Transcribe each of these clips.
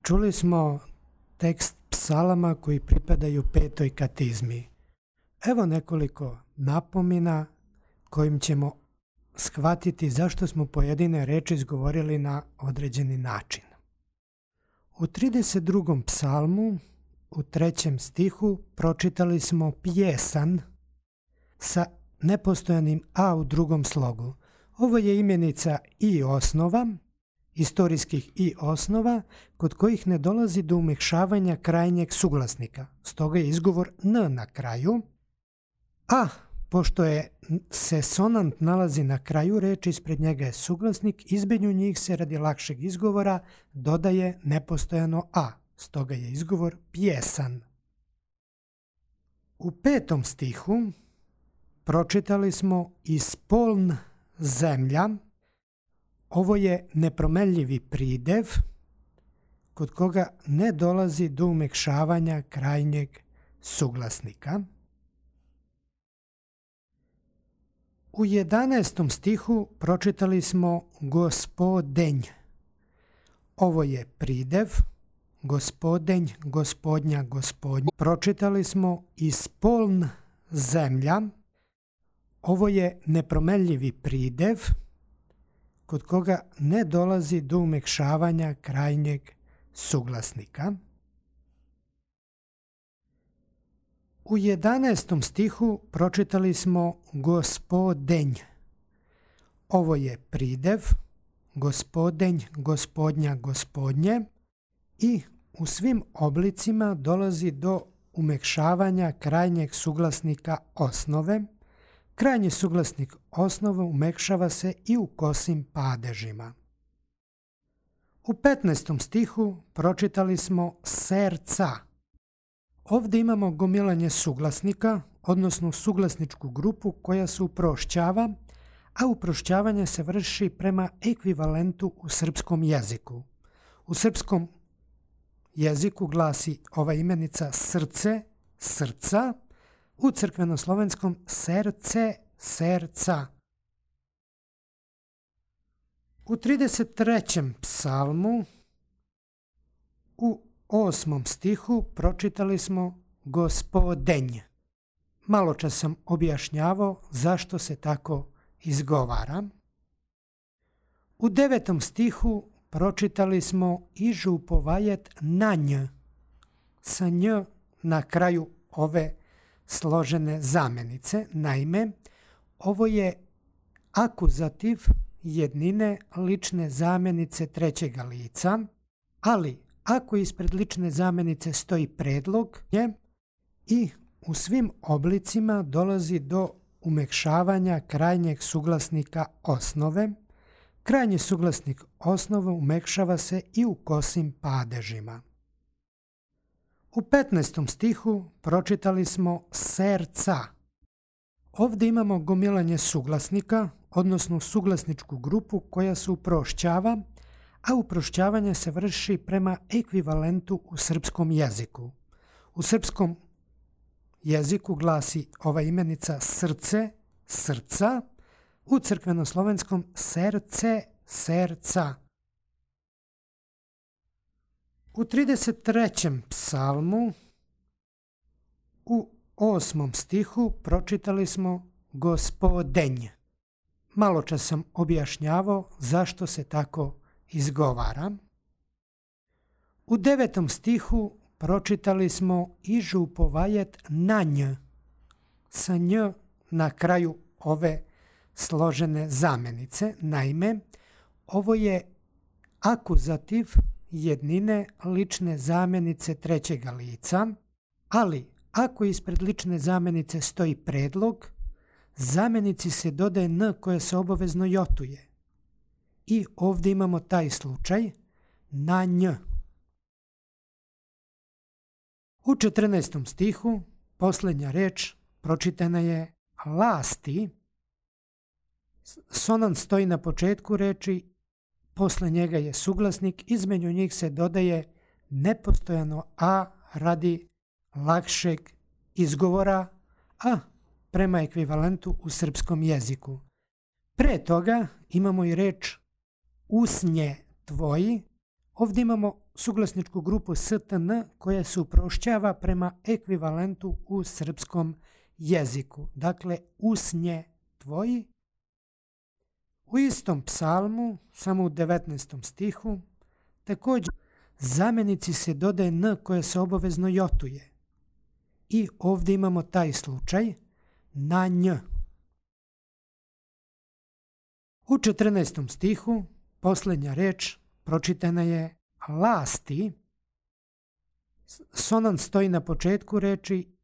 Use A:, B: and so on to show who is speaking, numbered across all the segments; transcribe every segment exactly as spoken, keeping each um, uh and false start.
A: Čuli smo tekst psalama koji pripadaju petoj katizmi. Evo nekoliko napomena kojim ćemo shvatiti zašto smo pojedine reči izgovorili na određeni način. U trideset drugom psalmu, u trećem stihu, pročitali smo pjesan sa nepostojanim a u drugom slogu. Ovo je imenica i osnova, istorijskih i osnova, kod kojih ne dolazi do umekšavanja krajnjeg suglasnika. Stoga je izgovor n na kraju, a pošto je se sonant nalazi na kraju reči, ispred njega je suglasnik, između njih se radi lakšeg izgovora dodaje nepostojano a. Stoga je izgovor pjesan. U petom stihu pročitali smo ispoln zemlja. Ovo je nepromenljivi pridev kod koga ne dolazi do umekšavanja krajnjeg suglasnika. U jedanaestom stihu pročitali smo gospodenj. Ovo je pridev, gospodenj, gospodnja, gospodnja. Pročitali smo ispoln zemlja. Ovo je nepromenljivi pridev kod koga ne dolazi do umekšavanja krajnjeg suglasnika. U jedanaestom stihu pročitali smo gospodenj. Ovo je pridev, gospodenj, gospodnja, gospodnje i u svim oblicima dolazi do umekšavanja krajnjeg suglasnika osnove. Krajnji suglasnik osnove umekšava se i u kosim padežima. U petnaestom stihu pročitali smo serca. Ovdje imamo gomilanje suglasnika, odnosno suglasničku grupu koja se uprošćava, a uprošćavanje se vrši prema ekvivalentu u srpskom jeziku. U srpskom jeziku glasi ova imenica srce, srca, u crkvenoslovenskom serce, serca. U trideset trećem psalmu, u osmom stihu, pročitali smo gospodenj. Malo čas sam objašnjavao zašto se tako izgovara. U devetom stihu pročitali smo ižupovajet na nj, sa nj na kraju ove složene zamenice. Naime, ovo je akuzativ jednine lične zamenice trećega lica, ali ako ispred lične zamenice stoji predlog je i u svim oblicima dolazi do umekšavanja krajnjeg suglasnika osnove. Krajnji suglasnik osnove umekšava se i u kosim padežima. U petnaestom stihu pročitali smo serca. Ovdje imamo gomilanje suglasnika, odnosno suglasničku grupu koja se uprošćava, a uprošćavanje se vrši prema ekvivalentu u srpskom jeziku. U srpskom jeziku glasi ova imenica srce, srca, u crkvenoslovenskom serce, serca. U trideset trećem psalmu, u osmom stihu, pročitali smo gospodenj. Malo čas sam objašnjavao zašto se tako izgovara. U devetom stihu pročitali smo ižupovajet na nj, sa nj na kraju ove složene zamenice. Naime, ovo je akuzativ jednine lične zamenice trećega lica, ali ako ispred lične zamenice stoji predlog, zamenici se dodaje n koja se obavezno jotuje. I ovdje imamo taj slučaj na nj. U četrnaestom stihu posljednja reč pročitana je lasti. Sonant stoji na početku reči, posle njega je suglasnik, između njih se dodaje nepostojano a radi lakšeg izgovora, a prema ekvivalentu u srpskom jeziku. Pre toga imamo i reč usnje tvoji. Ovdje imamo suglasničku grupu S T N koja se uprošćava prema ekvivalentu u srpskom jeziku. Dakle, usnje tvoji. U istom psalmu, samo u devetnaestom stihu, također zamjenici se dodaje N koje se obavezno jotuje. I ovdje imamo taj slučaj na nj. U četrnaestom stihu posljednja reč pročitana je lasti. Sonan stoji na početku reči,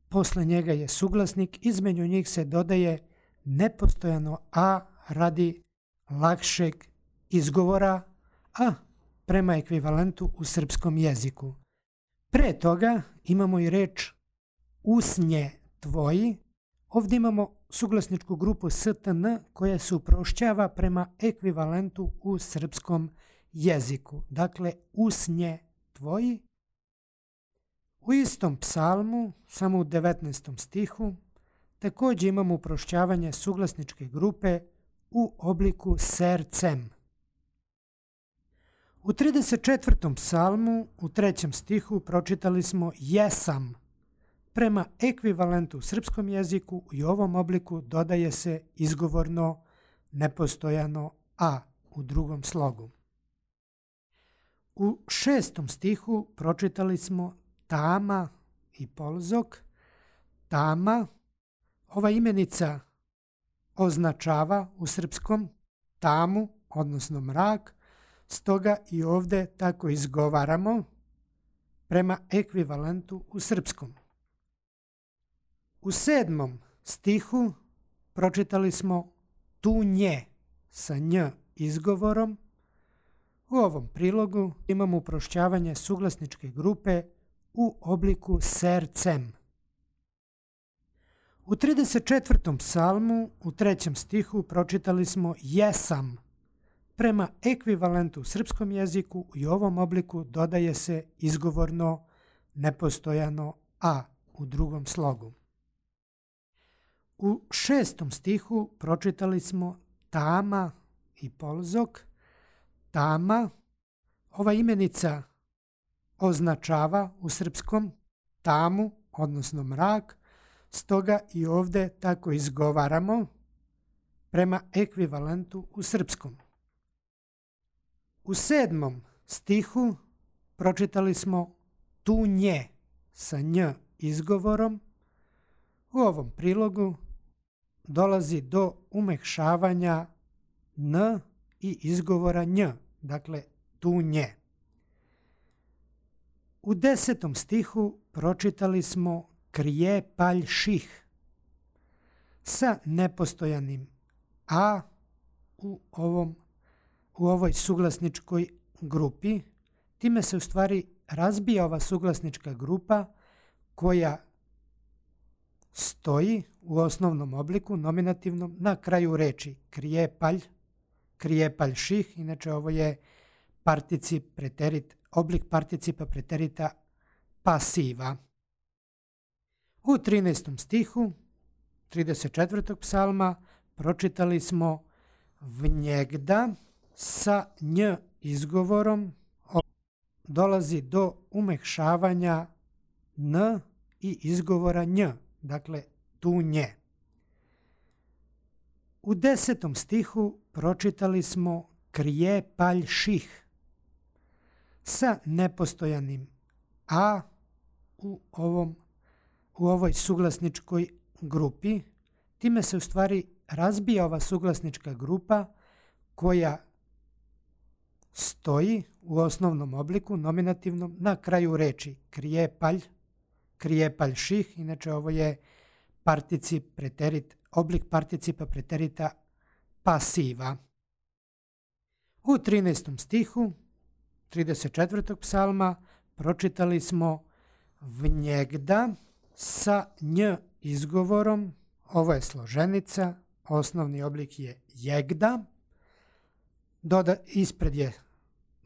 A: posle njega je suglasnik, između njih se dodaje nepostojano a radi lakšeg izgovora, a prema ekvivalentu u srpskom jeziku. Pre toga imamo i reč usnje tvoji. Ovdje imamo suglasničku grupu S T N koja se uprošćava prema ekvivalentu u srpskom jeziku. Dakle, usnje tvoji. U istom psalmu, samo u devetnaestom stihu, također imamo uprošćavanje suglasničke grupe u obliku sercem. U trideset četvrtom psalmu, u trećem stihu, pročitali smo jesam. Prema ekvivalentu u srpskom jeziku i u ovom obliku dodaje se izgovorno nepostojano a u drugom slogu. U šestom stihu pročitali smo tama i polzok. Tama, ova imenica označava u srpskom tamu, odnosno mrak, stoga i ovdje tako izgovaramo prema ekvivalentu u srpskom. U sedmom stihu pročitali smo tu nje sa nj izgovorom. U ovom prilogu imamo uprošćavanje suglasničke grupe u obliku sercem. U trideset četvrtom psalmu, u trećem stihu, pročitali smo jesam. Prema ekvivalentu u srpskom jeziku i u ovom obliku dodaje se izgovorno nepostojano a u drugom slogu. U šestom stihu pročitali smo tama i polzok. Tama, ova imenica označava u srpskom tamu, odnosno mrak, stoga i ovdje tako izgovaramo prema ekvivalentu u srpskom. U sedmom stihu pročitali smo tu nje sa nj izgovorom. U ovom prilogu dolazi do umekšavanja n i izgovora nj, dakle tu nje. U desetom stihu pročitali smo krije palj ših sa nepostojanim a u, ovom, u ovoj suglasničkoj grupi. Time se u stvari razbija ova suglasnička grupa koja stoji u osnovnom obliku, nominativnom, na kraju reči krije palj, krije palj ših, inače ovo je particip preterit, oblik participa preterita pasiva. U trinaestom stihu trideset četvrtog psalma pročitali smo vnjegda sa nj izgovorom, dolazi do umekšavanja n i izgovora nj, dakle tu nje. U desetom stihu pročitali smo krije palj ših sa nepostojanim a u, ovom, u ovoj suglasničkoj grupi. Time se u stvari razbija ova suglasnička grupa koja stoji u osnovnom obliku, nominativnom, na kraju reči krije palj, krije palj ših, inače ovo je particip preterit, oblik participa preterita pasiva. U trinaestom stihu trideset četvrtog psalma pročitali smo vnjegda sa nj izgovorom, ovo je složenica, osnovni oblik je jegda, Doda, ispred je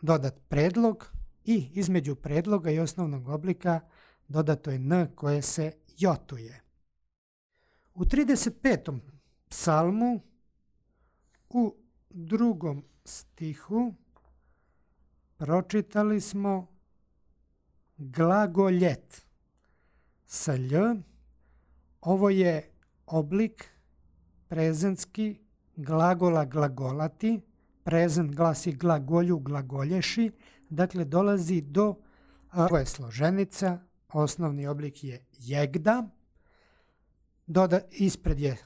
A: dodat predlog i između predloga i osnovnog oblika dodato je n koje se jotuje. U trideset petom psalmu u drugom stihu pročitali smo glagoljet sa lj. Ovo je oblik prezentski glagola glagolati. Prezent glasi glagolju, glagolješi. Dakle, dolazi do, ovo je složenica, osnovni oblik je jegda. Doda, ispred je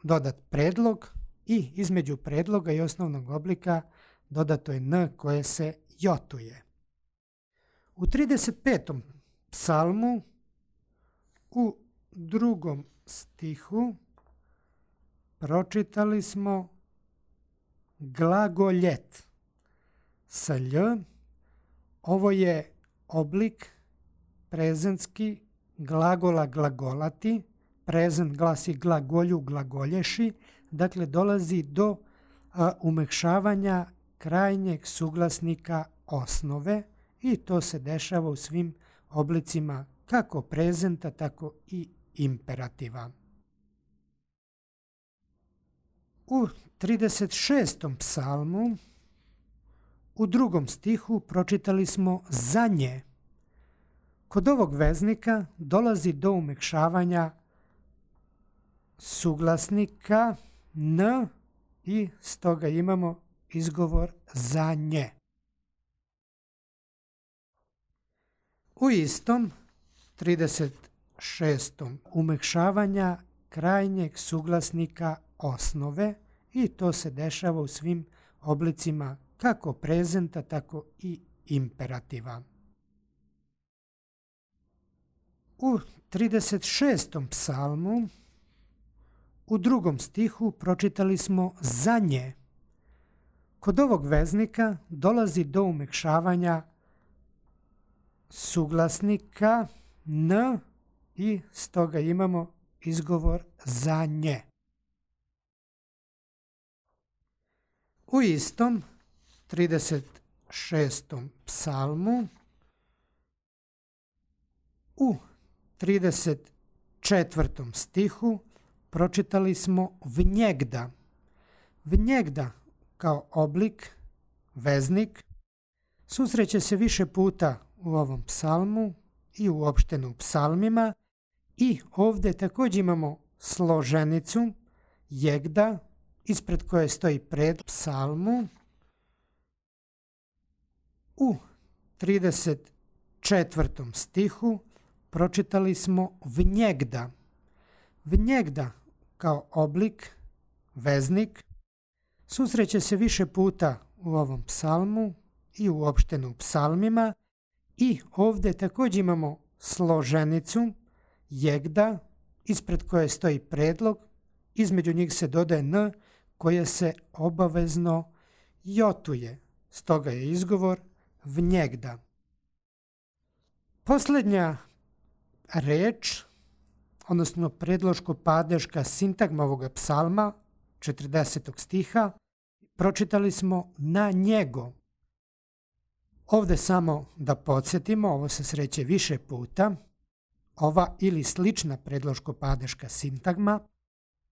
A: dodat predlog i između predloga i osnovnog oblika dodato je n koje se jotuje. U trideset petom psalmu u drugom stihu pročitali smo glagoljet sa lj. Ovo je oblik prezentski glagola glagolati. Prezent glasi glagolju, glagolješi. Dakle, dolazi do a, umekšavanja krajnjeg suglasnika osnove i to se dešava u svim oblicima kako prezenta, tako i imperativa. U trideset šestom psalmu u drugom stihu pročitali smo za nje. Kod ovog veznika dolazi do umekšavanja suglasnika n i stoga imamo izgovor za nje. U istom trideset šestom umekšavanja krajnjeg suglasnika osnove i to se dešava u svim oblicima kako prezenta, tako i imperativa. U trideset šestom psalmu u drugom stihu pročitali smo za nje. Kod ovog veznika dolazi do umekšavanja suglasnika n i stoga imamo izgovor za nje. U istom trideset šestom psalmu u trideset četvrtom stihu pročitali smo vnjegda. Vnjegda kao oblik, veznik, susreće se više puta u ovom psalmu i uopšteno u psalmima i ovdje također imamo složenicu jegda ispred koje stoji pred psalmu. U trideset četvrtom stihu pročitali smo vnjegda. Vnjegda kao oblik, veznik, susreće se više puta u ovom psalmu i uopšteno u psalmima i ovdje također imamo složenicu jegda ispred koje stoji predlog, između njih se dodaje n koje se obavezno jotuje, stoga je izgovor vnjegda. Posljednja reč, odnosno predloško-padeška sintagma ovoga psalma, četrdesetog stiha, pročitali smo na njego. Ovdje samo da podsjetimo, ovo se sreće više puta, ova ili slična predloško-padeška sintagma,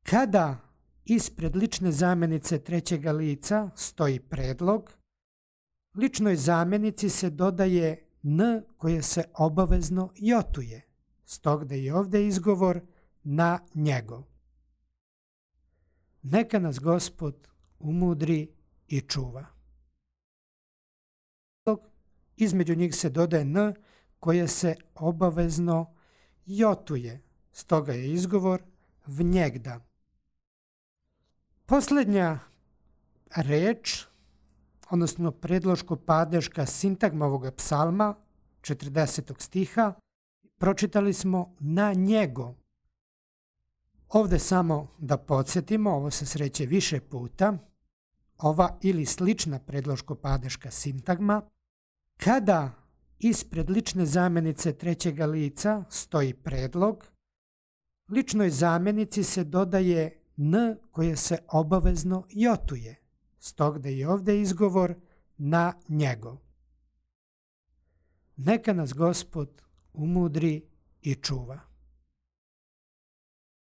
A: kada ispred lične zamjenice trećega lica stoji predlog, ličnoj zamjenici se dodaje n koje se obavezno jotuje, stoga da je ovdje izgovor na njego. Neka nas Gospod umudri i čuva. Između njih se dodaje n koje se obavezno jotuje, stoga je izgovor vnjegda. Posljednja reč, odnosno predloško-padeška sintagma ovoga psalma, četrdesetog stiha, pročitali smo na njego. Ovdje samo da podsjetimo, ovo se sreće više puta, ova ili slična predloško-padeška sintagma, kada ispred lične zamjenice trećega lica stoji predlog, ličnoj zamjenici se dodaje n koje se obavezno jotuje, stoga da je ovdje izgovor na njego. Neka nas Gospod umudri i čuva.